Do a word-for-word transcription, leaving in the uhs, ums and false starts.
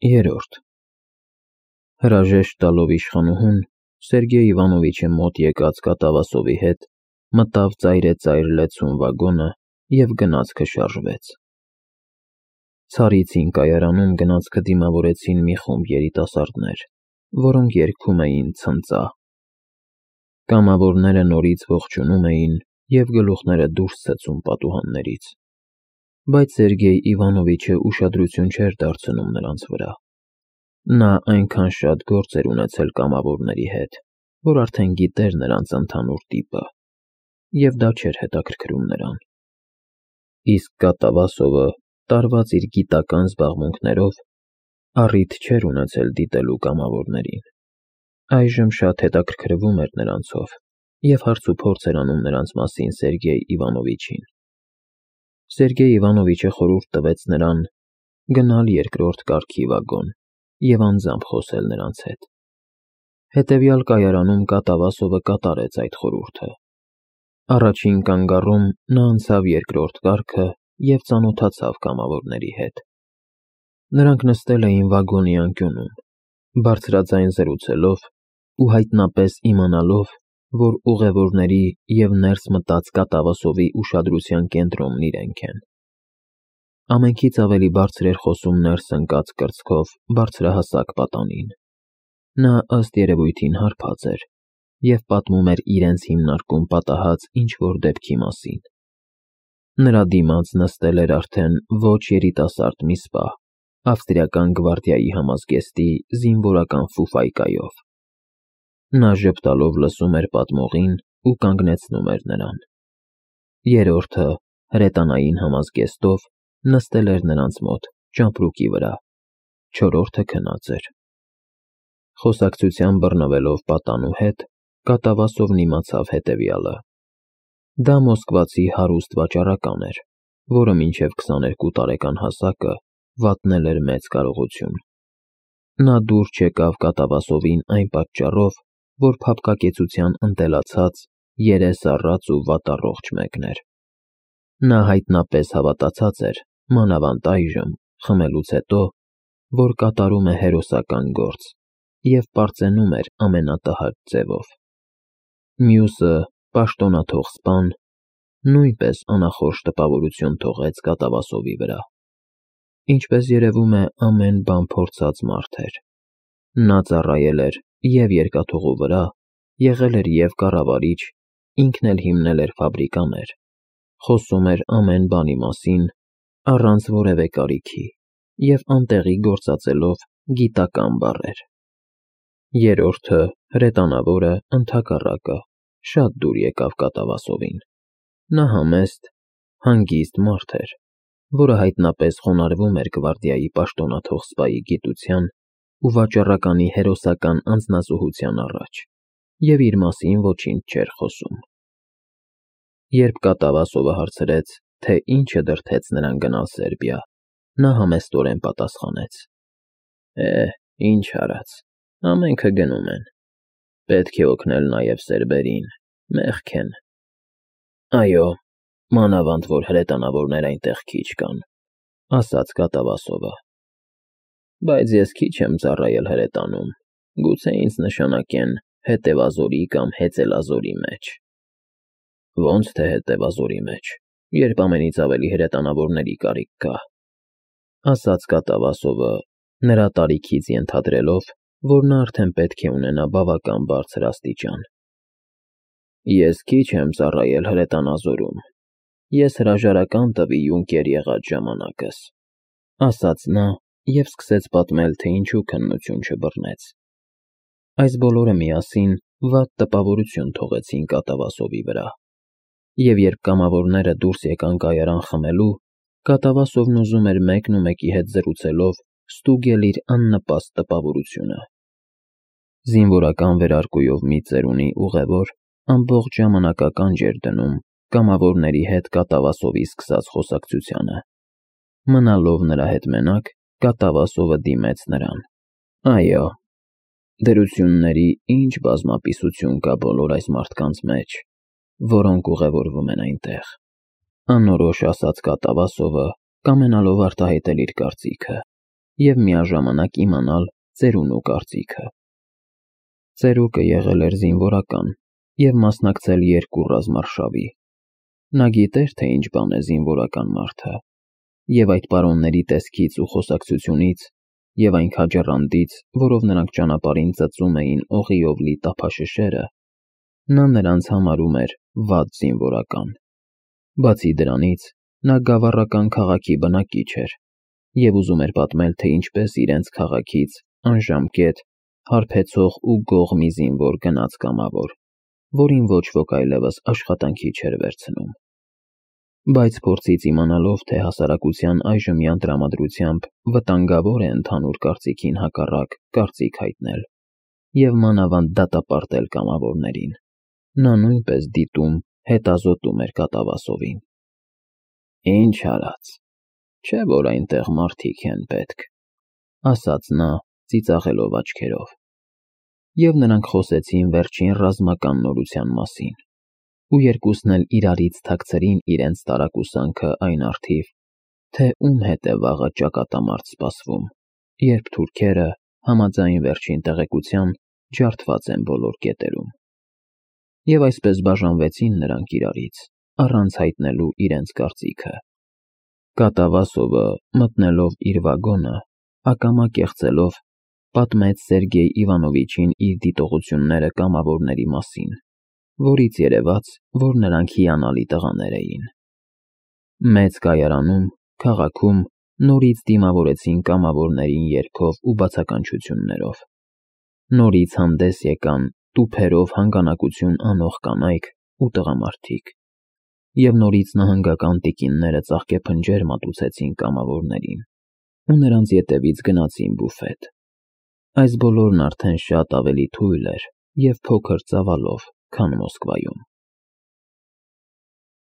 Երրորդ Հրաժեշտ տալով իշխանուհուն, Սերգեյ Իվանովիչը մոտ եկած կատավասովի հետ մտավ ծայրեծայր լեցուն վագոնը և գնացքը շարժվեց։ Ցարից հին կայարանում գնացքը դիմավորեցին մի խումբ երիտասարդներ, որոնք երգում էին ցնծա։ Կամավորները նորից ողջունում էին և գլուխները դուրս ցցում պատուհաններից, բայց Սերգեյ Իվանովիչը ուշադրություն չէր դարձնում նրանց վրա։ Նա այնքան շատ գործ էր ունեցել կամավորների հետ, որ արդեն գիտեր նրանց ընդհանուր տիպը, և դա չէր հետաքրքրում նրան։ Իսկ Կատավասովը, տարված իր գիտական զբաղմունքներով, առիթ չէր ունեցել դիտելու կամավորներին։ Այժմ շատ հետաքրքրվում էր նրանցով և հարցուփորձ էր անում նրանց մասին Սերգեյ Իվանովիչին։ Սերգեյ Իվանովիչը խորհուրդ տվեց նրան գնալ երկրորդ կարգի վագոն և անձամբ խոսել նրանց հետ։ Հետևյալ կայարանում Կատավասովը կատարեց այդ խորհուրդը։ Առաջին կանգառում նա անցավ երկրորդ կարգը և ծանոթացավ կամավորների հետ։ Նրանք նստել էին վագոնի անկյունում, բարձրաձայն զրուցելով ու հայտնապես իմանալով, որ ուղևորների և ներս մտած Կատավասովի ուշադրության կենտրոնն իրենք են։ Ամենքից ավելի բարձր էր խոսում ներս ընկած կրծքով բարձրահասակ պատանին։ Նա ըստ երևույթին հարբած էր և պատմում էր իրենց հիմնարկում պատահած ինչ-որ դեպքի մասին։ Նրա դիմաց նստել էր արդեն ոչ երիտասարդ մի սպա, ավստրիական գվարդիայի համազգեստի զինվորական ֆուֆայկայով։ Նա ժպտալով լսում էր պատմողին ու կանգնեցնում էր նրան։ Երրորդը, հրետանային համազգեստով, նստել էր նրանց մոտ, ճամպրուկի վրա, չորրորդը քնած էր։ Խոսակցության բռնվելով պատանու հետ, Կատավասովն իմացավ հետևյալը. դա մոսկվացի հարուստ վաճառական էր, որը մինչև քսաներկու տարեկան հասակը վատնել էր մեծ կարողություն։ Նա դուր չեկավ Կատավասովին այն պատճառով, որ փափկակեցության ընտելացած, երես առած ու վատառողջ մեկն էր։ Նա հայտնապես հավատացած էր, մանավանդ այժմ, խմելուց հետո, որ կատարում է հերոսական գործ և պարծենում էր ամենատհաճ ձևով։ Մյուսը, պաշտոնաթող սպան, նույնպես անախորժ տպավորություն թողեց Կատավասովի վրա։ Ինչպես երևում է, ամեն բան փորձած մարդ էր։ Նա ծառայել էր և երկաթուղու վրա, եղել էր և կառավարիչ, ինքն էլ հիմնել էր ֆաբրիկաներ, խոսում էր ամեն բանի մասին, առանց որևէ կարիքի և անտեղի գործածելով գիտական բառեր։ Երրորդը, հրետանավորը, ընդհակառակը, շատ դուր եկավ Կատավասովին։ Նա համեստ, հանգիստ մարդ էր, որը հայտնապես խոնարհվում էր գվարդիայի պաշտոնաթող սպայի գիտության ու վաճառականի հերոսական անձնազոհության առաջ և իր մասին ոչինչ չէր խոսում։ Երբ Կատավասովը հարցրեց, թե ինչը դրդեց նրան գնալ Սերբիա, նա համեստորեն պատասխանեց. Է, ինչ արած, ամենքը գնում են, պետք է օգնել նաև սերբերին, մեղք են։ Այո, մանավանդ որ հրետանավորներ այնտեղ քիչ կան, ասաց Կատավասովը։ Բայց ես քիչ եմ ծառայել հրետանում, գուցե ինձ նշանակեն հետևազորի կամ հեծելազորի մեջ։ Ոնց թե հետևազորի մեջ, երբ ամենից ավելի հրետանավորների կարիք կա, ասաց Կատավասովը, նրա տարիքից ենթադրելով, որ նա արդեն պետք է ունենա բավական բարձր աստիճան։ Ես քիչ եմ ծառայել հրետանազորում, ես հրաժարական տվի յունկեր եղած ժամանակս, ասաց նա և սկսեց պատմել, թե ինչու քննություն չբռնեց։ Այս բոլորը միասին վատ տպավորություն թողեցին Կատավասովի վրա, և երբ կամավորները դուրս եկան կայարան խմելու, Կատավասովն ուզում էր մեկնումեկի հետ զրուցելով ստուգել իր աննպաստ տպավորությունը։ Զինվորական վերարկուով մի ծերունի ուղևոր ամբողջ ժամանակականջ էր դնում կամավորների հետ Կատավասովի սկսած խոսակցությանը։ Մնալով նրա հետ մենակ, Կատավասովը դիմեց նրան. Այո, դրությունների ինչ բազմապիսություն կա բոլոր այս մարդկանց մեջ, որոնք ուղևորվում են այնտեղ, անորոշ ասաց Կատավասովը, կամենալով արտահայտել իր կարծիքը, և միաժամանակ իմանալ ծերունու կարծիքը։ Ծերուկը եղել էր զինվորական և մասնակցել երկու ռազմարշավի։ Նա գիտեր, թե ինչ բան է զինվորական մարդը, և այդ պարոնների տեսքից ու խոսակցությունից, և այն քաջառանդից, որով նրանք ճանապարհին ծծում էին օղիով լի տափաշշերը, նա նրանց համարում էր վատ զինվորական։ Բացի դրանից, նա գավառական քաղաքի բնակիչ էր և ուզում էր պատմել, թե ինչպես իրենց քաղաքից անժամկետ, հարբեցող ու գող մի զինվոր գնաց կամավոր, որին ոչ ոք այլևս աշխատանքի չէր վերցնում։ Բայց փորձից իմանալով, թե հասարակության այժմյան տրամադրությամբ վտանգավոր է ընդհանուր կարծիքին հակառակ կարծիք հայտնել և մանավանդ դատապարտել կամավորներին, նա նույնպես դիտում, հետազոտում էր կատավասովին։ «Ինչ արած, չէ՞ որ այնտեղ մարդիկ են պետք», ասաց նա, ծիծաղելով աչքերով։ Եվ նրանք խոսեցին վերջին ռազմական նորության մասին, ու երկուսն էլ իրարից թաքցրին իրենց տարակուսանքը այն առթիվ, թե ում հետ է վաղը ճակատամարտ սպասվում, երբ թուրքերը, համաձայն վերջին տեղեկության, ջարդված են բոլոր կետերում։ Եվ այսպես բաժանվեցին նրանք իրարից, առանց հայտնելու իրենց կարծիքը։ Կատավասովը, մտնելով իր վագոնը, ակամա կեղծելով, պատմեց Սերգեյ Իվանովիչին իր դիտողությունները կամավորների մասին, որից երևաց, որ նրանք հիանալի տղաներ էին։ Մեծ կայարանում, քաղաքում նորից դիմավորեցին կամավորներին երգով ու բացականչություններով։ Նորից հանդես եկան տուփերով հանգանակություն անող կանայք ու տղամարդիկ, և նորից նահանգական տիկինները ծաղկեփնջեր մատուցեցին կամավորներին ու նրանց ետևից գնացին բուֆետ։ Այս բոլորն արդեն շատ ավելի թույլ էր և փոքր ծավալով, քան Մոսկվայում։